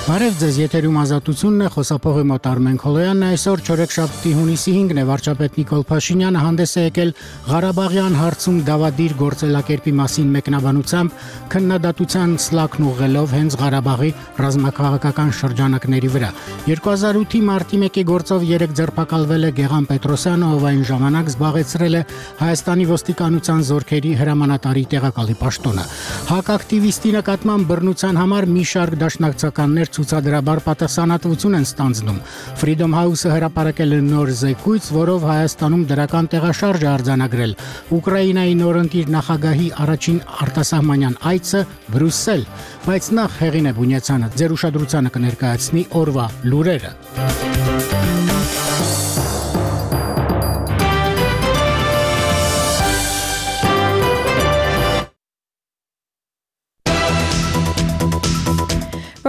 Բարև ձեզ, եթերում ազատությունն է, խոսափողի մոտ Արմեն Քոլոյանն է, այսօր չորեքշաբթի հունիսի 5-ն է, վարչապետ Նիկոլ Փաշինյանը հանդես է եկել Ղարաբաղյան հարցում դավադիր գործելակերպի մասին մեկնաբանությամբ, քննադատության սլաքն ուղղելով հենց Ղարաբաղի ռազմաքաղաքական շրջանակների վրա։ 2008-ի մարտի 1-ի գործով 3 ձերբակալվել է Գեղամ Պետրոսյանը, ով այն ժամանակ զբաղեցրել է Հայաստանի ոստիկանության զորքերի հրամանատարի տեղակալի պաշտոնը։ Հակակտիվիստի նկատմամբ բռնության համար մի շարք դաշնակցականներ ցուցադրաբար պատասխանատվություն են ստանձնում։ Freedom House-ը հրապարակել է նոր զեկույց, որով Հայաստանում դրական տեղաշարժ է արձանագրել Ուկրաինայի նորընտիր նախագահի առաջին արտասահմանյան այցը Բրյուսել, բայց նախ Հեղինե Բունյացյանը ձեր ուշադրությանը կներկայացնի օրվա լուրերը։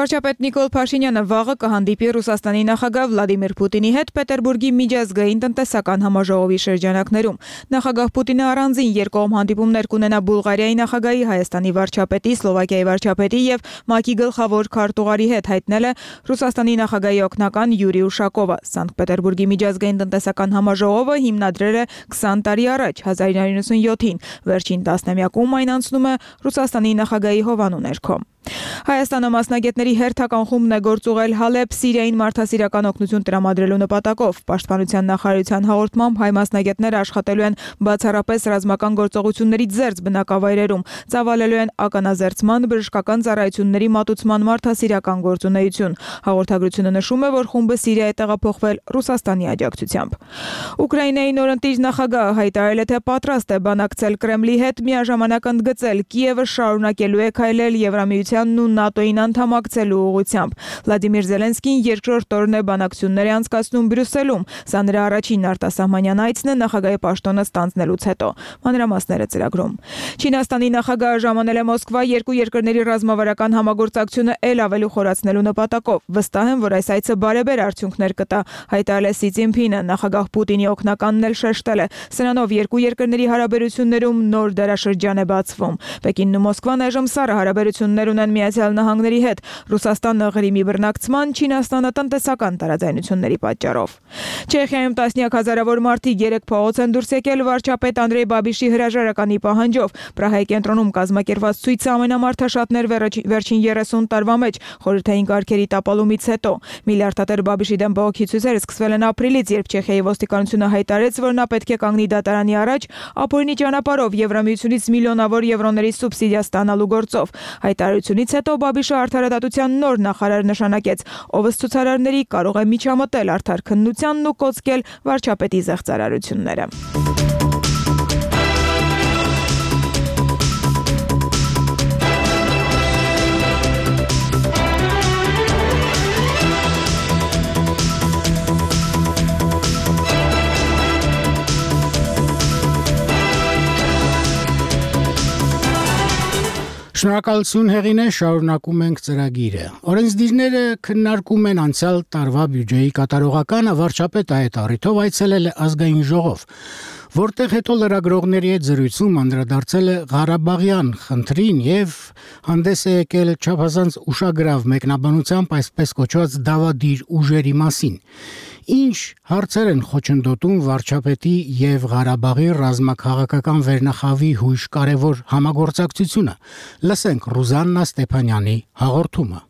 Վարչապետ Նիկոլ Փաշինյանը վաղը կհանդիպի Ռուսաստանի նախագահ Վլադիմիր Պուտինի հետ Պետերբուրգի միջազգային տնտեսական համաժողովի շրջանակներում։ Նախագահ Պուտինը առանձին երկկողմ հանդիպումներ կունենա Բուլղարիայի նախագահի, Հայաստանի վարչապետի, Սլովակիայի վարչապետի եւ ՄԱԿ-ի գլխավոր քարտուղարի հետ, հայտնել է Ռուսաստանի նախագահի օգնական Յուրի Ուշակովը։ Սանկտ Պետերբուրգի միջազգային տնտեսական համաժողովը հիմնադրել է 20 տարի առաջ, 1997-ին։ Վերջին տասնամյակում այն անցնում է Ռուսաստանի նախագահի հովանու ներքո։ Հայաստանը մասնագետների հերթական խումբն է գործուղել Հալեբ, Սիրիային մարդասիրական օգնություն տրամադրելու նպատակով։ Պաշտպանության նախարարության հաղորդմամբ հայ մասնագետները աշխատելու են բացառապես ռազմական գործողություններից զերծ բնակավայրերում, ծավալելու են ականազերծման, բժշկական ծառայությունների մատուցման մարդասիրական գործունեություն։ Հաղորդագրությունը նշում է, որ խումբը Սիրիա է տեղափոխվել Ռուսաստանի աջակցությամբ։ Ուկրաինայի նորընտիր նախագահը հայտարարել է, թե պատրաստ է բանակցել Կրեմլի հետ, միաժամանակ ընդգծել Կիևը շարունակելու է քայլել Եվրամիության ու ՆԱՏՕ-ին անդամակցելու ուղղությամբ։ Վլադիմիր Զելենսկին երկրորդ օրն է բանակցություններ անցկացնում Բրյուսելում։ Սա նրա առաջին արտասահմանյան այցն է նախագահի պաշտոնը ստանձնելուց հետո։ Մանրամասները ծրագրում։ Չինաստանի նախագահը ժամանել է Մոսկվա երկու երկրների ռազմավարական համագործակցությունը ել ավելի խորացնելու նպատակով։ Վստահ եմ, որ այս այցը բարեբեր արդյունքներ կտա, հայտարարել է Սի Ցզինփինը։ Նախագահ Պուտինի օգնականն էլ շեշտել է, սրանով երկու երկրների հարաբերություններում նոր դարաշրջան է բացվում։ Պեկինն ու Մոսկվան այժմ սառը հարաբերություններ ունեն Միացյալ Նահանգների հետ, Ռուսաստանը Ղրիմի բռնակցման, Չինաստանը տնտեսական տարաձայնությունների պատճառով։ Չեխիայում տասնյակ հազարավոր մարդիկ երեկ փողոց են դուրս եկել վարչապետ Անդրեյ Բաբիշի հրաժարականի պահանջով։ Պրահայի կենտրոնում կազմակերպված ցույցը ամենամարդաշատն էր վերջին 30 տարվա մեջ, խորհրդային կարգերի տապալումից հետո։ Միլիարդատեր Բաբիշի դեմ բողոքի ցույցերը սկսվել են ապրիլից, երբ Չեխիայի ոստիկանությունը հայտարարեց, որ նա պետք է կանգնի դատարանի առաջ ապօրինի ճանապարհով Եվրամիությունից միլիոնավոր եվրոների սուբսիդիա ստանալու գործով։ Հայտարարությունից հետո Բաբիշը արդարադատության նոր նախարար նշանակեց, ով ըստ ցուցարարների կարող է միջամտել արդար քննությանն ու կոծկել վարչապետի զեղծարարությունները։ Շնորհակալություն Հեղինե, շարունակում ենք ծրագիրը։ Օրենսդիրները քննարկում են անցյալ տարվա բյուջեի կատարողականը, վարչապետը այդ առիթով այցելել է ազգային ժողով, որտեղ հետո լրագրողների հետ զրույցում անդրադարձել է Ղարաբաղյան խնդրին եւ հանդես է եկել չափազանց ուշագրավ մեկնաբանությամբ այսպես կոչված դավադիր ուժերի մասին։ Ինչ հարցեր են խոչընդոտում վարչապետի եւ Ղարաբաղի ռազմաքաղաքական վերնախավի հույժ կարևոր համագործակցությունը։ Լսենք Ռուզաննա Ստեփանյանի հաղորդումը։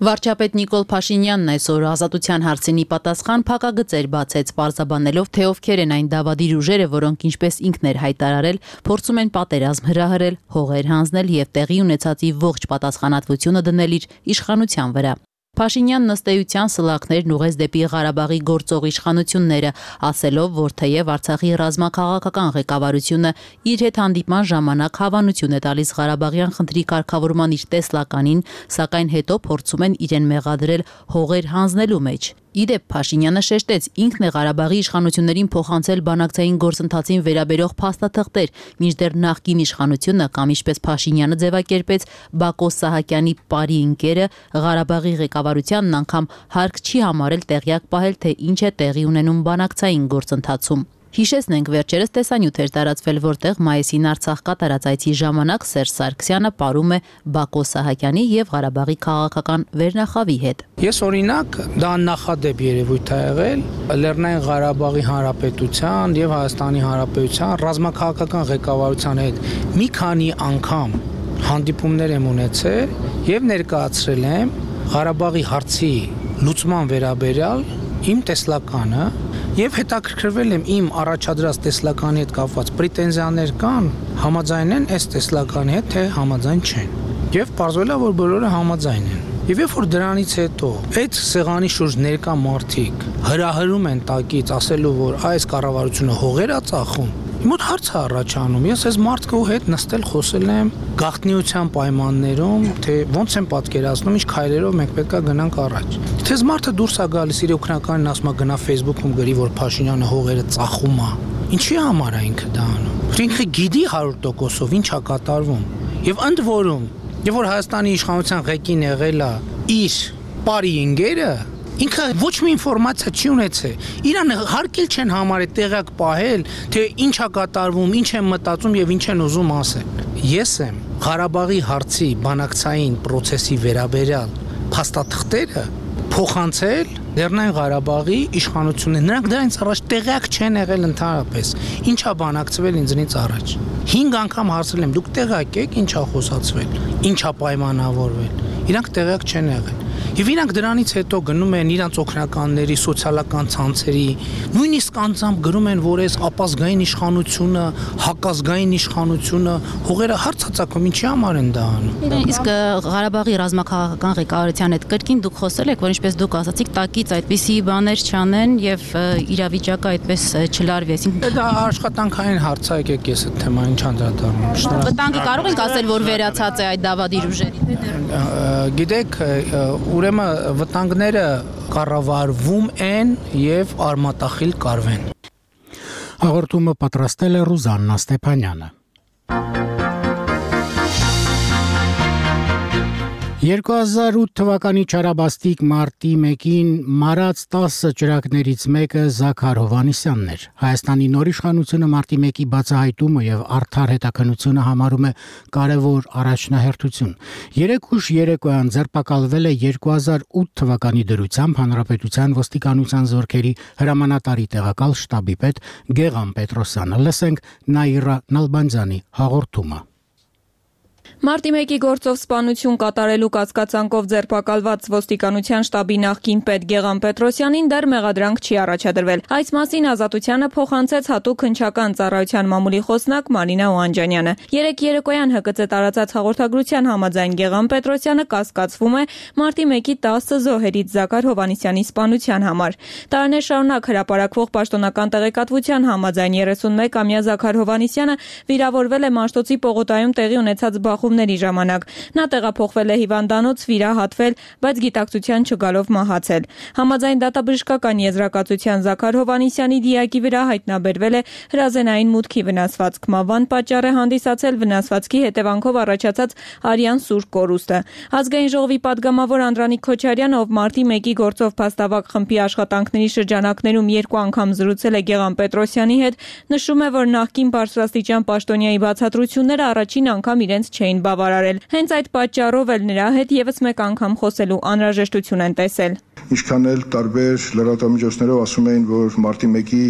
Վարչապետ Նիկոլ Փաշինյանն այսօր ազատության հարցինի պատասխան փակագծեր բացեց, պարզաբանելով, թե ովքեր են այն դավադիր ուժերը, որոնք ինչպես ինքն էր հայտարարել, փորձում են պատերազմ հրահրել, հողեր հանձնել եւ տեղի ունեցածի ողջ պատասխանատվությունը դնել իր իշխանության վրա։ Փաշինյանն ըստ էության սլաքներն ուղղեց դեպի Ղարաբաղի գործող իշխանությունները, ասելով, որ թեև Արցախի ռազմաքաղաքական ղեկավարությունը իր հետ հանդիպման ժամանակ հավանություն է տալիս Ղարաբաղյան խնդրի կարգավորման իր տեսլականին, սակայն հետո փորձում են իրեն մեղադրել հողեր հանձնելու մեջ։ Իդեպ Փաշինյանը շեշտեց, ինքն է Ղարաբաղի իշխանություններին փոխանցել բանակցային գործընթացին վերաբերող փաստաթղթեր, մինչդեռ նախկին իշխանությունը կամ ինչպես Փաշինյանը ձևակերպեց Բակո Սահակյանի բարի ընկերը Ղարաբաղի ղեկավարությանն անգամ հարկ չի համարել տեղյակ պահել, թե ինչ է տեղի ունենում բանակցային գործընթացում։ Հիշեցնենք, վերջերս տեսանյութ էր տարածվել, որտեղ մայիսին Արցախ կատարած այցի ժամանակ Սերժ Սարգսյանը պարում է Բակո Սահակյանի եւ Ղարաբաղի քաղաքական վերնախավի հետ։ Ես օրինակ դա նախադեպ երևույթ է եղել Լեռնային Ղարաբաղի Հանրապետության եւ Հայաստանի Հանրապետության ռազմաքաղաքական ղեկավարության հետ մի քանի անգամ հանդիպումներ եմ ունեցել եւ ներկայացրել եմ Ղարաբաղի հարցի լուծման վերաբերյալ իմ տեսլականը եւ հետաքրքրվել եմ իմ առաջադրած տեսլականի հետ կապված պրետենզիաներ կան, համաձայն են այս տեսլականի հետ, թե համաձայն չեն։ Եվ պարզվել է, որ բոլորը համաձայն են։ Եվ երբ որ դրանից հետո այդ սեղանի շուրջ ներկա մարդիկ հրահրում են տակից, ասելով, որ այս կառավարությունը հողեր է ծախում, մոտ հարց է առաջանում։ Ես այս մարդկու հետ նստել խոսել եմ գաղտնիության պայմաններում, թե ոնց են պատկերացնում, ինչ քայլերով մենք պետք է գնանք առաջ։ Թե մարդը դուրս է գալիս իր օգնականին ասում է գնա Facebook-ում գրի, որ Փաշինյանը հողերը ծախում է։ Ինչի համար է ինքը դա անում։ Ինքը գիտի 100%-ով ինչ է կատարվում։ Եվ ընդ որում, երբ որ Հայաստանի իշխանության ղեկին եղել է իր բարի ընկերը, ինքը ոչ մի ինֆորմացիա չի ունեցել։ Իրան հարկել չեն համարել տեղակ պահել, թե ինչ է կատարվում, ինչ են մտածում եւ ինչ են ուզում ասել։ Ես եմ Ղարաբաղի հարցի բանակցային process-ի վերաբերյալ փաստաթղթերը փոխանցել Լեռնային Ղարաբաղի իշխանություններին։ Նրանք դրանից առաջ տեղյակ չեն եղել ընդհանրապես։ Ինչա բանակցվել ինձնից առաջ։ 5 անգամ հարցրել եմ, դուք տեղյակ եք ինչա խոսացվել, ինչա պայմանավորվել։ Իրանք տեղյակ չեն եղել։ Եվ իրանք դրանից հետո գնում են իրանց օգնականների, սոցիալական ցանցերի, նույնիսկ անձամբ գրում են, որ այս ապազգային իշխանությունը, հակազգային իշխանությունը հողերը հարցածակում, ինչի համար են դա անում։ Իսկ Ղարաբաղի ռազմաքաղաքական ղեկավարության հետ կրկին դուք խոսել եք, որ ինչպես դուք ասացիք, տակից այդպիսի բաներ չանեն եւ իրավիճակը այդպես չլարվի, այսինքն դա աշխատանքային հարց է, եկեք ես այդ թեմային չանդրադառնամ։ Վտանգը կարող ենք ասել, որ վերացած է այդ դավադիր ուժերի։ Գիտեք, ուրեմն վտանգները կառավարվում են եւ արմատախիլ կարվեն։ Հաղորդումը պատրաստել է Ռուզաննա Ստեփանյանը։ 2008 թվականի չարաբաստիկ մարտի 1-ին մարած 10 ճրագներից մեկը Զաքար Հովհաննիսյանն էր։ Հայաստանի նոր իշխանությունը մարտի 1-ի բացահայտումը եւ արդար հետաքննությունը համարում է կարևոր առաջնահերթություն։ 3 ուշ երեկոյան ձերբակալվել է 2008 թվականի դրությամբ Հանրապետության ոստիկանության զորքերի հրամանատարի տեղակալ շտաբի պետ Գեգամ Պետրոսյանը։ Լսենք Նաիրա Նալբանդյանի հաղորդումը։ Մարտի 1-ի գործով սպանություն կատարելու կասկածանքով ձերբակալված ոստիկանության շտաբի նախկին պետ Գեգամ Պետրոսյանին դեռ մեղադրանք չի առաջադրվել։ Այս մասին Ազատությանը փոխանցեց հատուկ հնչական ծառայության մամուլի խոսնակ Մարինա Օանջանյանը։ Երեկ երեկոյան ՀԿՑ տարածած հաղորդագրության համաձայն Գեգամ Պետրոսյանը կասկածվում է մարտի 1-ի 10 զոհերից Զաքար Հովհաննիսյանի սպանության համար։ Տարիներ շարունակ հրապարակվող պաշտոնական տեղեկատվության համաձայն 31-ամյա Զաքար Հովհաննիսյանը վիրավորվել է Մաշտոցի պողոտայում տեղի ունեցած բախումների ժամանակ։ Նա տեղափոխվել է հիվանդանոց, վիրահատվել, բայց գիտակցության չգալով մահացել։ Համաձայն դատաբժշկական եզրակացության Զաքար Հովհաննիսյանի դիակի վրա հայտնաբերվել է հրազենային մուտքի վնասվածք։ Մահվան պատճառ է հանդիսացել վնասվածքի հետևանքով առաջացած արյան սուր կորուստը։ Ազգային ժողովի падգամավոր Անդրանիկ Քոչարյանը, ով մարտի 1-ի գործով փաստավակ խմբի աշխատանքների շրջանակներում 2 անգամ զրուցել է Գեգամ Պետրոսյանի հետ, նշում է, որ նախկին բարձրաստիճան պաշտոնյայի բացատրությունները առաջին անգամ իրենց չէին բավարարել։ Հենց այդ պատճառով էլ նրա հետ եւս մեկ անգամ խոսելու անհրաժեշտություն են տեսել։ Ինչքան էլ տարբեր լրատվամիջոցներով ասում էին, որ մարտի 1-ի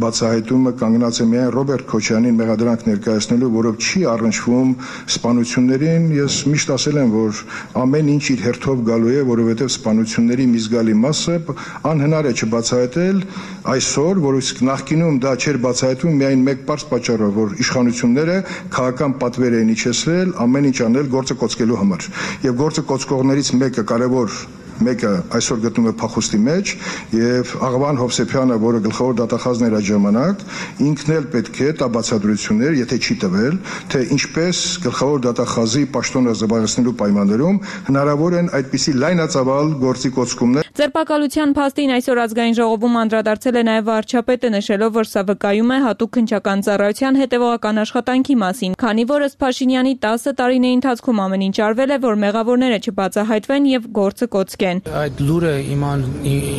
բացահայտումը կանգնած է միայն Ռոբերտ Քոչարյանին մեղադրանք ներկայացնելու, որով չի առնչվում սպանություններին, ես միշտ ասել եմ, որ ամեն ինչ իր հերթով գալու է, որովհետև սպանությունների մի զգալի մասը անհնար է չբացահայտել այսօր, որ նախկինում դա չէր բացահայտվում միայն մեկ պարզ պատճառով, որ իշխանությունները քաղաքական պատվեր էին իջեցրել ամեն ինչ անել գործը կոծկելու համար։ Եվ գործը կոծկողներից մեկը այսօր գտնում է փախուստի մեջ եւ Աղվան Հովսեփյանը, որը գլխավոր դատախազն էր այդ ժամանակ, ինքն էլ պետք է տա բացատրություններ, եթե չի տվել, թե ինչպես գլխավոր դատախազի պաշտոնը զբաղեցնելու պայմաններում հնարավոր են այդպիսի լայնածավալ գործի կոծկումներ։ Ձերբակալության փաստին այսօր ազգային ժողովում անդրադարձել է նաև վարչապետը, նշելով, որ սա վկայում է հատուկ քննչական ծառայության հետևողական աշխատանքի մասին, քանի որ ըստ Փաշինյանի 10 տարիների ընթացքում ամեն ինչ արվել է, որ մեղավորները չբացահայտվեն եւ գործը կոծկեն։ Այդ լուրը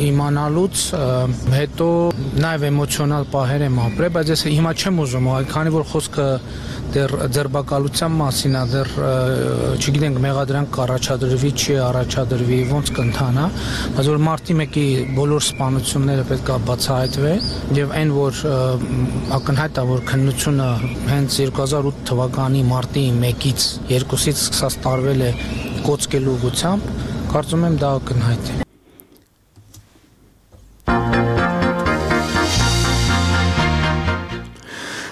իմանալուց հետո նաև էմոցիոնալ պահեր եմ ապրել, բայց ես հիմա չեմ ուզում, քանի որ խոսքը դեռ ձերբակալության մասին է, դեռ չգիտենք մեղադրանք կառաջադրվի, չի առաջադրվի, ոնց կընթանա, բայց որ մարտի 1-ի բոլոր սպանությունները պետք է բացահայտվեն եւ այն որ ակնհայտ է որ քննությունը հենց 2008 թվականի մարտի 1-ից 2-ից սկսած տարվել է կոծկելու ուղղությամբ, կարծում եմ դա ակնհայտ է։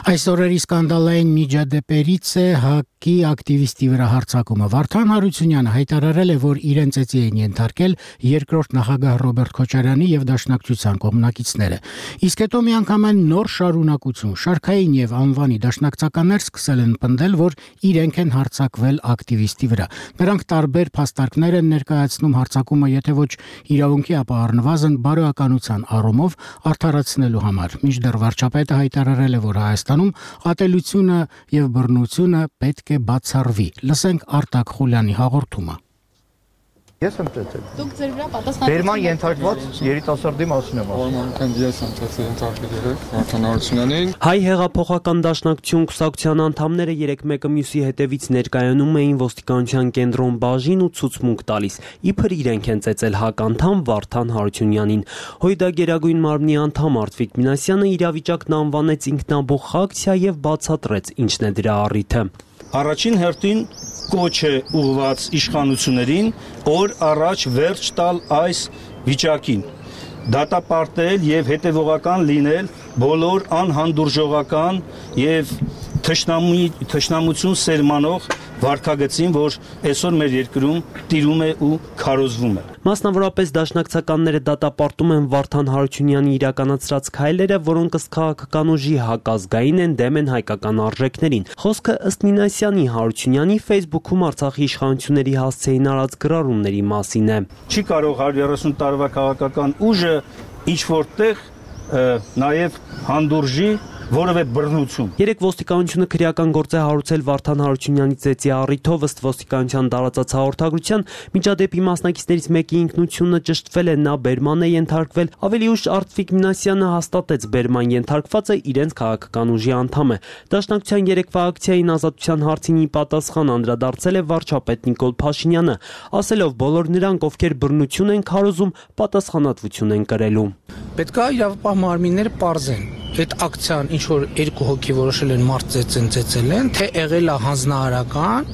Այս օրերի սկանդալային միջադեպերից է ՀԱԿ-ի ակտիվիստի վրա հարձակումը։ Վարդան Հարությունյանը հայտարարել է, որ իրեն ծեծի են ենթարկել երկրորդ նախագահ Ռոբերտ Քոչարյանի եւ Դաշնակցության կողմնակիցները։ Իսկ հետո միանգամայն նոր շարունակություն շարքային եւ անվանի դաշնակցականներ սկսել են պնդել, որ իրենք են հարձակվել ակտիվիստի վրա։ Նրանք տարբեր փաստարկներ են ներկայացնում հարձակումը, եթե ոչ իրավունքի, ապա առնվազն բարոյականության առումով արդարացնելու համար։ Մինչդեռ վարչապետը հայտարարել է, որ Հայաստանում ատելությունը եւ բռնությունը պետք է բացառվի։ Լսենք Արտակ Խուլյանի հաղորդումը։ Ես եմ ծեծել։ Դուք ձեր վրա պատասխան Բերման ենթարկված երիտասարդի մասին եմ ասում։ Ուրեմն ես եմ ծեծել ենթարկել Վարդան Հարությունյանին։ Հայ հեղափոխական դաշնակցություն կուսակցության անդամները 3-1 մյուսի հետևից ներկայանում էին ոստիկանության կենտրոն բաժին ու ցուցմունք տալիս։ Իբր իրենք են ծեծել ՀԱԿ անդամ Վարդան Հարությունյանին։ Հույդա Գերագույն մարմնի անդամ Արտվիկ Մինասյանը իրավիճակն անվանեց ինքնաբուխ ակցիա եւ բացատրեց ինչն է դրա առիթը։ Առաջին հերթին կոչ է ուղղված իշխանություններին, օր առաջ վերջ տալ այս վիճակին, դատապարտել եւ հետեւողական լինել բոլոր անհանդուրժողական եւ թշնամություն սերմանող վարքագծին, որ այսօր մեր երկրում տիրում է ու քարոզվում է։ Մասնավորապես դաշնակցականները դատապարտում են Վարդան Հարությունյանի իրականացրած քայլերը, որոնք ըստ քաղաքական ուժի հակազգային են, դեմ են հայկական արժեքներին։ Խոսքը ըստ Մինասյանի Հարությունյանի Facebook-ում Արցախի իշխանությունների հասցեին արած գրառումների մասին է։ Չի կարող 130 տարվա քաղաքական ուժը ինչ որտեղ նաև հանդուրժի որևէ բռնություն։ Երեք ոստիկանությունը քրեական գործ է հարուցել Վարդան Հարությունյանի ծեծի առիթով, ըստ ոստիկանության տարածած հաղորդագրության, միջադեպի մասնակիցներից մեկի ինքնությունը ճշտվել է, նա բերման է ենթարկվել։ Ավելի ուշ Արտվիկ Մինասյանը հաստատեց բերման ենթարկվածը իրենց քաղաքական ուժի անդամ է։ Դաշնակցության երեկվա ակցիային ազատության հարցին ի պատասխան անդրադարձել է վարչապետ Նիկոլ Փաշինյանը, ասելով բոլոր նրանք, ովքեր բռնություն են քարոզում, պատասխանատվություն են կրելու։ Պետք է իրավապահ մարմինները պարզեն այդ ակցիան ինչ որ երկու հոգի որոշել են մարդ ծեծել են, թե եղել է հանձնարարական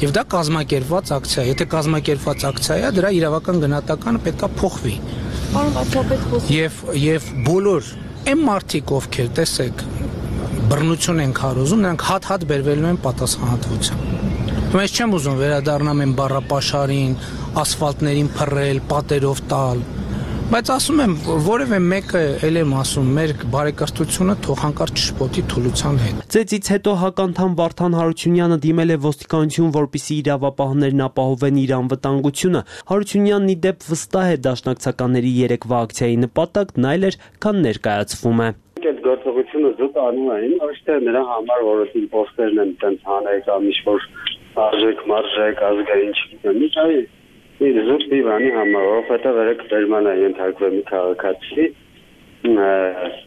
եւ դա կազմակերպված ակցիա։ Եթե կազմակերպված ակցիա է, դրա իրավական գնահատականը պետք է փոխվի։ Պարոն վարչապետ, Եվ բոլոր այն մարդիկ, ովքեր տեսեք բռնություն են քարոզում, նրանք հատ բերվելու են պատասխանատվության։ Ես չեմ ուզում վերադառնամ այն բառապաշարին, ասֆալտներին փռել, պատերով տալ, բայց ասում եմ, որևէ մեկը ել եմ ասում, մեր բարեկրթությունը թող հանկարծ չշփոթի թուլության հետ։ Ծեծից հետո ՀԱԿ անդամ Վարդան Հարությունյանը դիմել է ոստիկանություն, որպեսզի իրավապահներն ապահովեն իր անվտանգությունը։ Հարությունյանն ի դեպ վստահ է դաշնակցականների երեկվա ակցիայի նպատակն այլ էր, քան ներկայացվում է։ Այդ գործողությունը զուտ անում էին, ոչ թե նրա համար, որ պոստերն են տենց հանել կամ ինչ-որ արժեք, ազգային չգիտեմ, Զուտ բանի համար, որովհետև երեք բերման է ենթարկվել մի քաղաքացի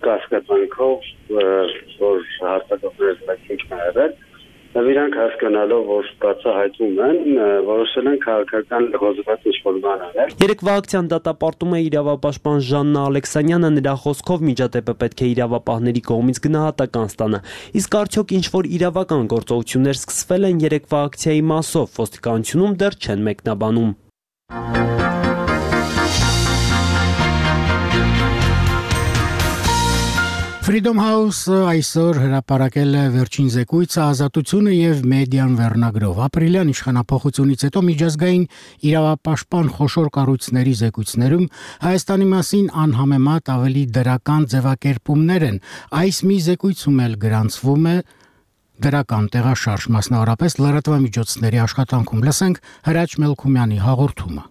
կասկածանքով, որ հաստատողներից մեկին եղել, իրանք հասկանալով, որ բացահայտում են, որոշել են քաղաքական հոզված ինչ-որ բան անել։ Երեկվա ակցիան դատապարտում է իրավապաշտպան Ժաննա Ալեքսանյանը, նրա խոսքով միջադեպը պետք է իրավապահների կողմից գնահատական ստանա։ Իսկ արդյոք ինչ-որ իրավական գործողություններ սկսվել են երեկվա ակցիայի մասով, ոստիկանությունում դեռ չեն մեկնաբանում։ Freedom House այսօր հրապարակել է վերջին զեկույցը ազատությունը եւ մեդիան վերնագրով։ Ապրիլյան իշխանապողությունից հետո միջազգային իրավապաշտպան խոշոր կառույցների զեկույցներում Հայաստանի մասին անհամեմատ ավելի դրական ձևակերպումներ են։ Այս մի զեկույցում էլ գրանցվում է դրական տեղաշարժ, մասնավորապես լրատվամիջոցների աշխատանքում։ Լսենք Հրաչ Մելքումյանի հաղորդումը։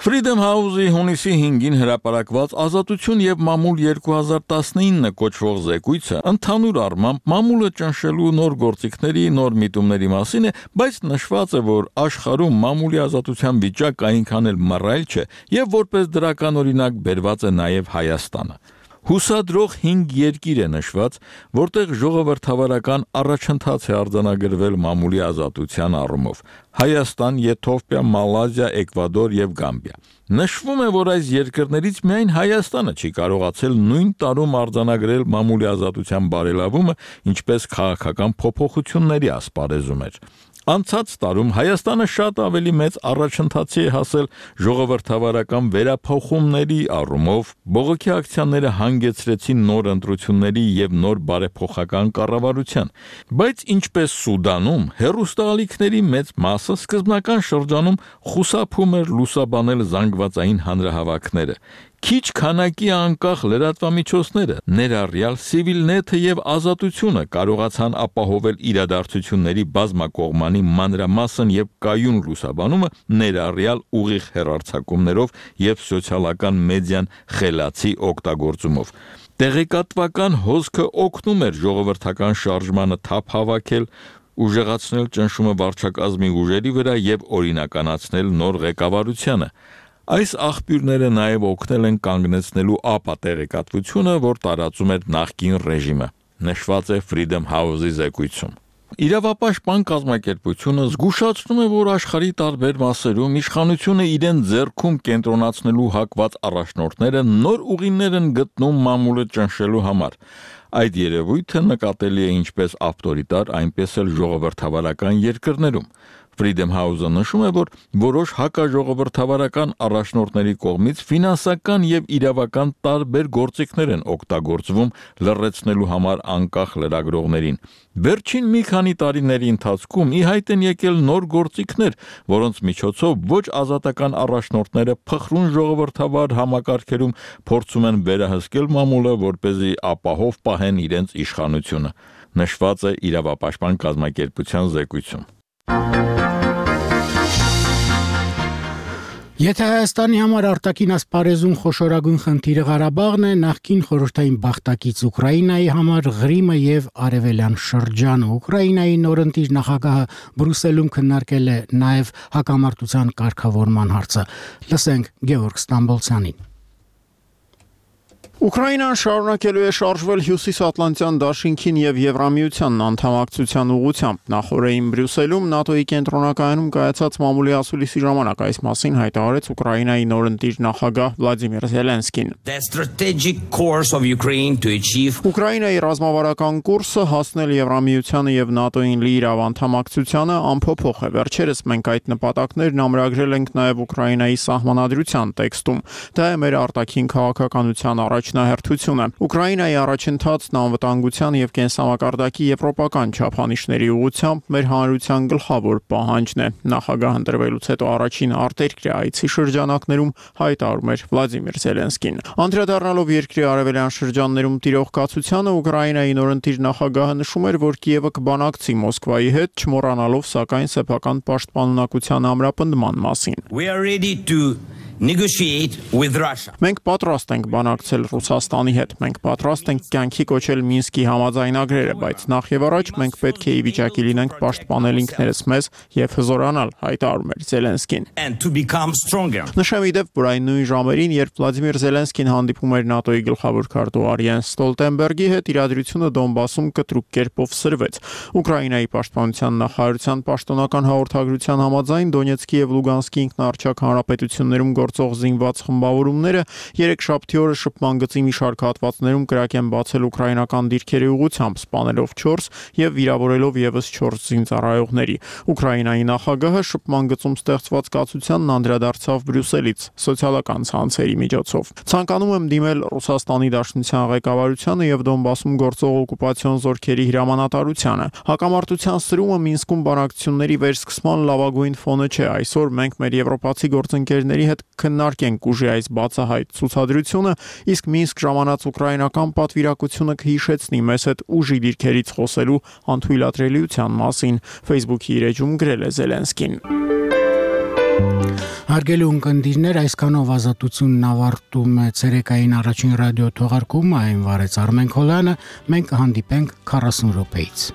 Freedom House-ի հունիսի 5-ին հրապարակված Ազատություն եւ մամուլ 2019 կոչվող զեկույցը ընդհանուր առմամբ մամուլը ճնշելու նոր գործիքների, նոր միտումների մասին է, բայց նշված է, որ աշխարհում մամուլի ազատության վիճակը այնքան էլ մռայլ չէ եւ որպես դրական օրինակ բերված է նաեւ Հայաստանը։ Հուսադրող 5 երկիր է նշված, որտեղ ժողովրդավարական առաջընթաց է արձանագրվել մամուլի ազատության առումով. Հայաստան, Եթովպիա, Մալազիա, Էկվադոր եւ Գամբիա։ Նշվում է, որ այս երկրներից միայն Հայաստանը չի կարողացել նույն տարում արձանագրել մամուլի ազատության բարելավումը, ինչպես քաղաքական փոփոխությունների ասպարեզում էր։ Անցած տարում Հայաստանը շատ ավելի մեծ առաջընթացի է հասել ժողովրդավարական վերափոխումների առումով, բողոքի ակցիաները հանգեցրեցին նոր ընտրությունների եւ նոր բարեփոխական կառավարության, բայց ինչպես Սուդանում, հերոստալիքների մեծ մասը սկզբնական շրջանում խուսափում էր լուսաբանել զանգվածային հանրահավաքները։ Քիչ քանակի անկախ լրատվամիջոցները, ներառյալ Civilnet-ը եւ Ազատությունը կարողացան ապահովել իրադարձությունների բազմակողմանի մանրամասն եւ կայուն լուսաբանումը, ներառյալ ուղիղ հեռարձակումներով եւ սոցիալական մեդիան խելացի օգտագործումով։ Տեղեկատվական հոսքը օգնում էր ժողովրդական շարժմանը թափ հավաքել, ուժեղացնել ճնշումը վարչակազմի ուժերի վրա եւ օրինականացնել նոր ղեկավարությանը։ Այս աղբյուրները նաև օգնել են կանգնեցնելու ապատեղեկատվությունը, որ տարածում էր նախկին ռեժիմը, նշված է Freedom House-ի զեկույցում։ Իրավապաշտպան կազմակերպությունը զգուշացնում է, որ աշխարհի տարբեր մասերում իշխանությունը իրեն ձեռքում կենտրոնացնելու հակված առաջնորդները նոր ուղիներ են գտնում մամուլը ճնշելու համար։ Այդ երևույթը նկատելի է ինչպես ավտորիտար, այնպես էլ ժողովրդավարական երկրներում։ Freedom House-ը նշում է, որ որոշ հակաժողովրդավարական առաջնորդների կողմից ֆինանսական եւ իրավական տարբեր գործիքներ են օգտագործվում լռեցնելու համար անկախ լրագրողներին։ Վերջին մի քանի տարիների ընթացքում ի հայտ են եկել նոր գործիքներ, որոնց միջոցով ոչ ազատական առաջնորդները փխրուն ժողովրդավար համակարգերում փորձում են վերահսկել մամուլը, որպեսզի ապահով պահեն իրենց իշխանությունը։ Նշված է իրավապաշտպան կազմակերպության զեկույցում։ Եթե Հայաստանի համար արտաքին ասպարեզում խոշորագույն խնդիրը Ղարաբաղն է, նախկին խորհրդային բախտակից Ուկրաինայի համար Ղրիմը եւ Արևելյան շրջանը։ Ուկրաինայի նորընտիր նախագահը Բրյուսելում քննարկել է նաեւ հակամարտության կարգավորման հարցը։ Լսենք Գևորգ Ստամբոլցյանին։ Ուկրաինան շարունակելու է շարժվել Հյուսիսատլանտյան դաշինքին եւ Եվրամիության անդամակցության ուղղությամբ։ Նախորդին Բրյուսելում ՆԱՏՕ-ի կենտրոնակայանում կայացած մամուլի ասուլիսի ժամանակ այս մասին հայտարարեց Ուկրաինայի նորընտիր նախագահ Վլադիմիր Զելենսկին։ Ուկրաինայի ռազմավարական կուրսը հասնել Եվրամիությանը եւ ՆԱՏՕ-ին լիիրավ անդամակցությանը ամփոփող է։ Վերջերս մենք այդ նպատակներն ամրագրել ենք նաեւ Ուկրաինայի սահմանադրության տեքստում։ Դա է մեր արտաքին քաղաքականության առաջնահերթությունը։ Ուկրաինայի առաջընթացն անվտանգության եւ կենսամակարդակի եվրոպական չափանիշների ուղղությամբ մեր հանրության գլխավոր պահանջն է։ Նախագահ ընտրվելուց հետո առաջին արտերկրի այցի շրջանակներում հայտարարում էր Վլադիմիր Զելենսկին։ Անդրադառնալով երկրի արևելյան շրջաններում տիրող կացությանը, Ուկրաինայի նորընտիր նախագահը նշում էր, որ Կիևը կբանակցի Մոսկվայի հետ, չմոռանալով սակայն սեփական պաշտպանունակության ամրապնդման մասին։ Մենք պատրաստ ենք բանակցել Ռուսաստանի հետ, մենք պատրաստ ենք կյանքի կոչել Մինսկի համաձայնագրերը, բայց նախ եւ առաջ մենք պետք է ի վիճակի լինենք պաշտպանել ինքներս մեզ եւ հզորանալ, հայտարարում էր Զելենսկին։ Նշեմ իդեպ, որ այն նույն ժամերին, երբ Վլադիմիր Զելենսկին հանդիպում էր ՆԱՏՕ-ի գլխավոր քարտուղար Յենս Ստոլտենբերգի հետ, իրադրությունը Դոնբասում կտրուկ կերպով սրվեց։ Ուկրաինայի պաշտպանության նախարարության պաշտոնական հաղորդագրության համաձայն Դոնեցկի եւ Լուգանսկի ինքնաառաջակ հանրապետություններում գործող զինված խմբավորումները երեքշաբթի օրը շփման գծի մի շարք հատվածներում կրակ են բացել ուկրաինական դիրքերի ուղղությամբ, սպանելով 4 եւ վիրավորելով եւս 4 զինծառայողների։ Ուկրաինայի նախագահը շփման գծում ստեղծված կացությանն անդրադարձավ Բրյուսելից սոցիալական ցանցերի միջոցով։ Ցանկանում եմ դիմել Ռուսաստանի Դաշնության ղեկավարությանը եւ Դոնբասում գործող օկուպացիոն զորքերի հրամանատարությանը։ Հակամարտության սրումը Մինսկում բանակցությունների վերսկսման լավագույն ֆոնը չէ։ Այսօր մենք մեր եվրոպացի գործընկերների հետ քննարկենք ուժի այս բացահայտ ցուցադրությունը, իսկ Մինսկ ժամանած ուկրաինական պատվիրակությունը կհիշեցնի մեզ հետ ուժի դիրքերից խոսելու անթույլատրելիության մասին, Facebook-ի իր էջում գրել է Զելենսկին։ Հարգելի ունկնդիրներ, այսքանով ազատությունն ավարտում է ցերեկային առաջին ռադիո թողարկումը, այն վարեց Արմեն Քոլյանը, մենք կհանդիպենք 40 րոպեից։